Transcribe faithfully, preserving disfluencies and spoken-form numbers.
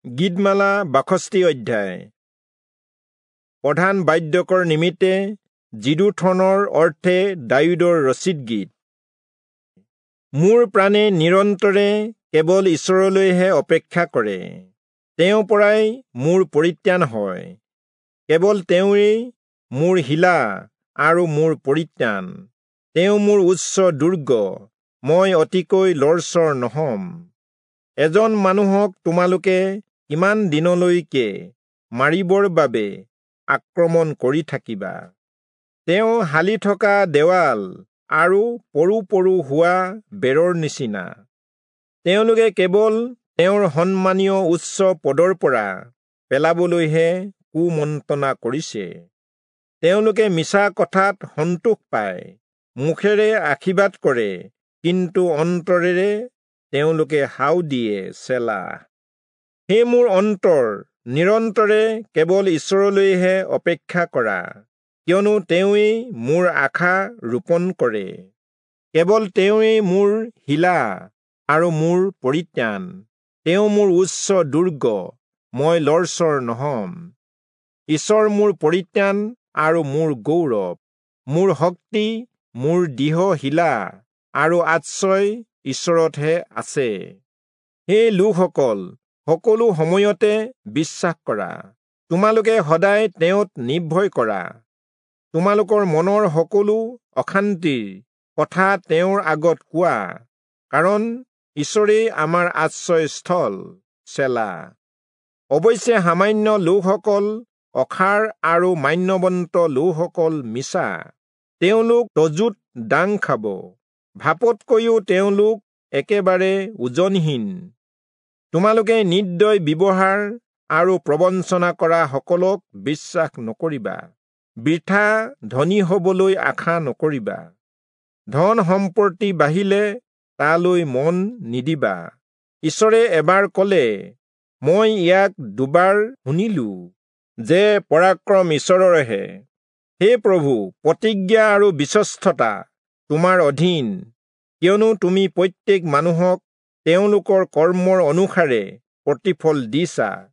গীতমালা বাষষ্ঠি অধ্যায়। প্ৰধান বাদ্যকৰ নিমিত্তে যিদূথনৰ অৰ্থে দায়ূদৰ ৰচিত গীত। মোৰ প্ৰাণে নিৰন্তৰে কেৱল ঈশ্বৰলৈহে অপেক্ষা কৰে, তেওঁৰ পৰাই মোৰ পৰিত্ৰাণ হয়। কেৱল তেওঁৱেই মোৰ শিলা আৰু মোৰ পৰিত্ৰাণ, তেওঁ মোৰ উচ্চ দুৰ্গ, মই অতিকৈ লৰচৰ নহম। এজন মানুহক তোমালোকে কিমান দিনলৈকে মাৰিবৰ বাবে আক্ৰমণ কৰি থাকিবা? তেওঁ হালি থকা দেৱাল আৰু পৰো পৰো হোৱা বেৰৰ নিচিনা। তেওঁলোকে কেৱল তেওঁৰ সন্মানীয় উচ্চ পদৰ পৰা পেলাবলৈহে কুমন্ত্ৰণা কৰিছে। তেওঁলোকে মিছা কথাত সন্তোষ পায়, মুখেৰে আশীৰ্বাদ কৰে, কিন্তু অন্তৰেৰে তেওঁলোকে হাও দিয়ে। চেলা। হে মোৰ অন্তৰ, নিৰন্তৰে কেৱল ঈশ্বৰলৈহে অপেক্ষা কৰা, কিয়নো তেওঁৱেই মোৰ আশা ৰোপণ কৰে। কেৱল তেওঁৱেই মোৰ শিলা আৰু মোৰ পৰিত্ৰাণ, তেওঁ মোৰ উচ্চ দুৰ্গ, মই লৰচৰ নহম। ঈশ্বৰ মোৰ পৰিত্ৰাণ আৰু মোৰ গৌৰৱ, মোৰ শক্তি, মোৰ দৃঢ় শিলা আৰু আশ্ৰয় ঈশ্বৰতহে আছে। হে লোকসকল, সকলো সময়তে বিশ্বাস কৰা, তোমালোকে সদায় তেওঁত নিৰ্ভয় কৰা। তোমালোকৰ মনৰ সকলো অশান্তিৰ কথা তেওঁৰ আগত কোৱা, কাৰণ ঈশ্বৰেই আমাৰ আশ্ৰয়স্থল। চেলা। অৱশ্যে সামান্য লোকসকল অসাৰ আৰু মান্যৱন্ত লোকসকল মিছা, তেওঁলোক তজুত দাং খাব, ভাপতকৈও তেওঁলোক একেবাৰে ওজনহীন। তোমালোকে নিৰ্দয় ব্যৱহাৰ আৰু প্ৰবঞ্চনা কৰা সকলক বিশ্বাস নকৰিবা, বৃথা ধনী হবলৈ আশা নকৰিবা। ধন সম্পত্তি বাঢ়িলে তালৈ মন নিদিবা। ঈশ্বৰে এবাৰ কলে, মই ইয়াক দুবাৰ শুনিলো, যে পৰাক্ৰম ঈশ্বৰৰহে। হে প্ৰভু, প্ৰতিজ্ঞা আৰু বিশ্বস্ততা তোমাৰ অধীন, কিয়নো তুমি প্ৰত্যেক মানুহক তেওঁলোকৰ কৰ্মৰ অনুসাৰে প্ৰতিফল দিছা।